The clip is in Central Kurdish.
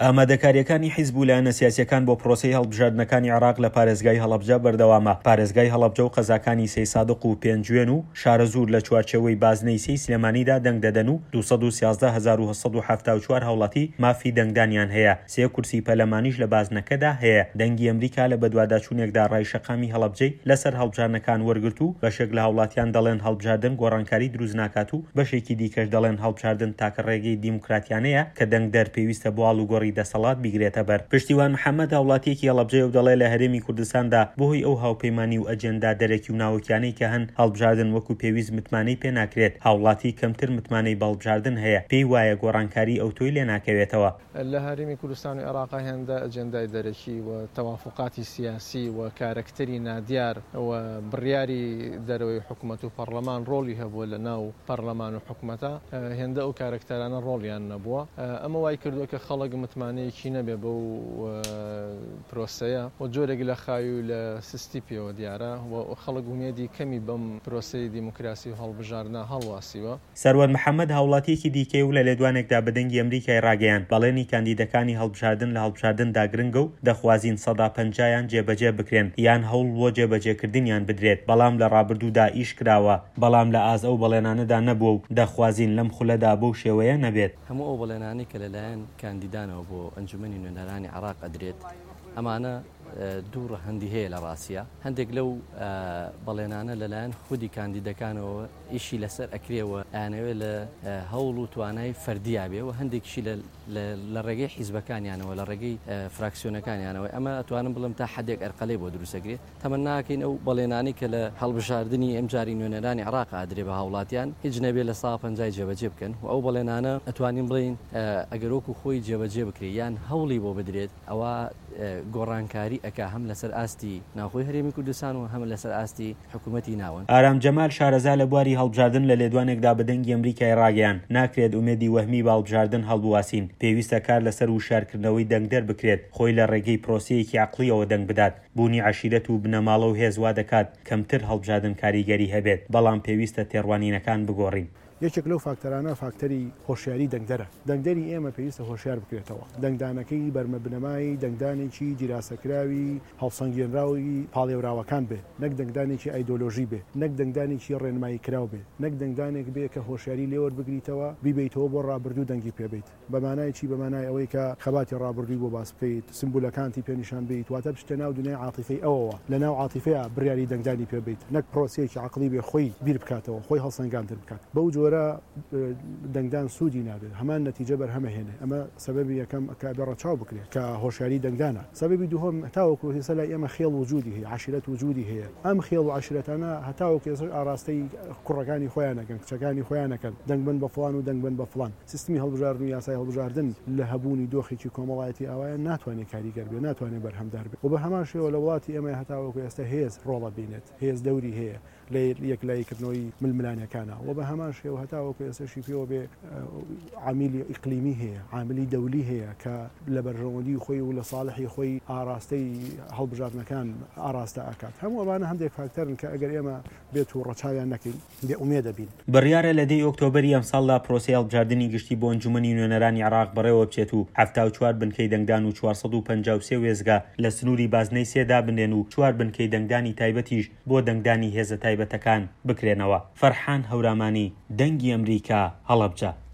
ئامادەکارییەکانی حیزب و لایەنە سیاسییەکان بۆ پرۆسەی هەڵبژاردنەکانی عێراق لە پارێزگای هەڵەبجە بەردەوامە. پارێزگای هەڵەبجە و قەزاکانی سەیسادق و پێنجوێن و شارەزوور لە چوارچێوەی بازنەی سێی سلێمانیدا دەنگ دەدەن و 213874 هاوڵاتی مافی دەنگدانیان هەیە. سێ کورسی پەرلەمانیش لە بازنەکەدا هەیە. دەنگی ئەمریکا لە بەدواداچوونێکدا ڕای شەقامی هەڵەبجەی لەسەر هەڵبژاردنەکان وەرگرت و بەشێک لە هاوڵاتیان دەڵێن هەڵبژاردن گۆڕانکاری دروست ناکات و بەشێکی دیکەش دەڵێن هەڵبژاردن تاکە ڕێگەی دیموکراتیانەیە کە دەنگدەر پێویستە بۆ ئاڵوگۆڕی دەسەڵات بیگرێتە بەر. پشتیوان محەمەد هاوڵاتییەکی هەڵەبجەیە و دەڵێ لە هەرێمی کوردستاندا بەهۆی ئەو هاوپەیمانی و ئەجێندا دەرەکی و ناوەکیانەی کە هەن هەڵبژاردن وەکو پێویست متمانەی پێ ناکرێت، هاوڵاتی کەمتر متمانەی بە هەڵبژاردن هەیە، پێی وایە گۆڕانکاری ئەوتۆی لێ ناکەوێتەوە. لە هەرێمی کوردستان و عێراقا هێندە ئەجێندای دەرەکی و تەوافوقاتی سیاسی و کارەکتەری نادیار و بڕیاری دەرەوەی حکومەت و پەڕلەمان ڕۆڵی هەبووە لە ناو پەڕلەمان و حکومەتا هێندە ئەو کارەکتەرانە ڕۆڵیان نەبووە ئەمە وای کردووە کە خەڵک متمانەیەکی نەبێ بەو پرۆسەیە و جۆرێک لە خاوی و لە سستی پێوە دیارە و خەڵک ئومێدی کەمی بەم پرۆسەی دیموکراسی و هەڵبژاردنە هەڵواسیوە. سەروەر محەمەد هاوڵاتییەکی دیکەیە و لە لێدوانێکدا بە دەنگی ئەمریکای ڕاگەیاند، بەڵێنی کاندیدەکانی هەڵبژاردن لە هەڵبژاردندا گرنگە و دەخوازین سەدا پەنجایان جێبەجێ بکرێن یان هەوڵ بۆ جێبەجێکردنیان بدرێت، بەڵام لە ڕابردوودا ئیش کراوە، بەڵام لە ئاست ئەو بەڵێنانەدا نەبووە و دەخوازین لەم خولەدا بەو شێوەیە نەبێت. هەموو ئەو بەڵێنانەی کە لەلایەن کاندیدانەوە بۆ ئەنجومەنی نوێنەرانی عێراق ئەدرێت، ئەمانە دوو ڕەهەندی هەیە لە ڕاستیا، هەندێک لەو بەڵێنانە لەلایەن خودی کاندیدەکانەوە ئیشی لەسەر ئەکرێ و ئەیانەوێ لە هەوڵ و توانای فەردیا بێ و هەندێکیشی لە ڕێگەی حیزبەکانیانەوە لە ڕێگەی فراکسیۆنەکانیانەوە ئەمە ئەتوانم بڵێم تا حدێک ئەرقەلەی بۆ دروست ئەکرێ. تەمەننا ئەکەین ئەو بەڵێنانەی کە لە هەڵبژاردنی ئەمجاری نوێنەرانی عێراق ئادرێ بە هاوڵاتیان هیچ نەبێ لە سا پەنجای جێبەجێ بکەن و ئەو بەڵێنانە ئەتوانین بڵێین ئەگەر وەکو خۆی جێبەجێ بکرێ یان هەوڵی بۆ بدرێت ئەوا گۆڕانکاری ئەکا هەم لەسەر ئاستی ناوخۆی هەرێمی کوردستان و هەم لەسەر ئاستی حکومەتی ناوەند. ئارام جەمال شارەزا لە بواری هەڵبژاردن لە لێدوانێکدا بە دەنگی ئەمریکای ڕاگەیاند، ناکرێت ئومێدی وەهمی بە هەڵبژاردن هەڵبواسین، پێویستە کار لەسەر وشیارکردنەوەی دەنگدەر بکرێت خۆی لە ڕێگەی پرۆسەیەکی عەقڵییەوە دەنگ بدات، بوونی عەشیرەت و بنەماڵە و هێز وادەکات کەمتر هەڵبژاردن کاریگەری هەبێت، بەڵام پێویستە تێڕوانینەکان بگۆڕین. یەکێک لەو فاکتەرانە فاکتەری هۆشیاری دەنگدەرە. دەنگدەری ئێمە پێویستە هۆشیار بکرێتەوە. دەنگدانەکەی بەرمە بنەمای دەنگدانێکی دیراسەکراوی هەڵسەنگێنراوی پاڵێوراوەکان بێ، نەک دەنگدانێکی ئایدۆلۆژی بێ، نەک دەنگدانێکی ڕێنماییکراو بێ، نەک دەنگدانێک بێ کە هۆشیاری لێوەربگریتەوە بیبەیتەوە بۆ ڕابردوو دەنگی پێ بەیت. بە مانای چی؟ بە مانای ئەوەی کە خەباتی ڕابردووی بۆ باس بکەیت، سمبولەکانتی پێ نیشان بەیت، واتە بچیتە ناو دونیای عاتیفەی ئەوەوە، لە ناو عاتیفەیا بڕیاری دەنگدانی پێ بەیت، نەک پرۆسەیەکی عەقڵی بێ خۆی بیر بکاتەوە، خۆی هەڵسەنگاندن بکات. بەو جۆرە دەنگدان سوودی نابێت، هەمان نەتیجە بەرهەمەهێنێ. ئەمە سەبەبی یەکەم کە ئەبێ ڕەچاو بکرێ کە هۆشیاری دەنگدانە. سەبەبی دووهەم، هەتاوەکو ئێستا لای ئێمە خێڵ وجوودی هەیە، عەشیرەت وجوودی هەیە. ئەم خێڵ و عەشیرەتانە هەتاوەکو ئێستاش ئاراستەی کوڕەکانی خۆیان ئەکەن، کچەکانی خۆیان ئەکەن، دەنگ بەن بە فڵان و دەنگ بەن بە فڵان. سیستمی هەڵبژاردن و یاسای هەڵبژاردن لە هەبوونی دۆخێکی کۆمەڵایەتی ئاوایە ناتوانێت کاریگەر بێت، ناتوانێت بەرهەمدار بێت و بە هەمان شێوە لە وڵاتی ئێمە هەتاوەکو ئێستا هێز ڕۆڵ ئەبینێت، هێز دەوری هەیە لە یەکلاییکردنەوەی ململانێکانا و بە هەمان شێوە هەتاوەکو ئێستەشی پێوە بێ عامیلی ئیقلیمی هەیە، عاملی دەولی هەیە کە لە بەرژەوەندی خۆی و لە ساڵحی خۆی ئاراستەی هەڵبژاردنەکان ئاراستە ئەکات. هەموو ئەمانە هەندێک فاکتەرن کە ئەگەر ئێمە بێت و ڕەچاویان نەکەین، بێ ئومێد ئەبین. بڕیارە لە دەی ئۆکتۆبەری ئەمساڵدا پرۆسەی هەڵبژاردنی گشتی بۆ ئەنجومەنی نوێنەرانی عێراق بەڕێوەبچێت و 74 بنکەی دەنگدان و 453 وێستگە لە سنووری بازنەی سێ دابنرێن و چوار بنکەی دەنگدانی تایبەتیش بۆ دەنگدانی هێزە تایبەتەکان بکرێنەوە. فەرحان هەورامانی، دەنگی ئەمریکا، هەڵەبجە.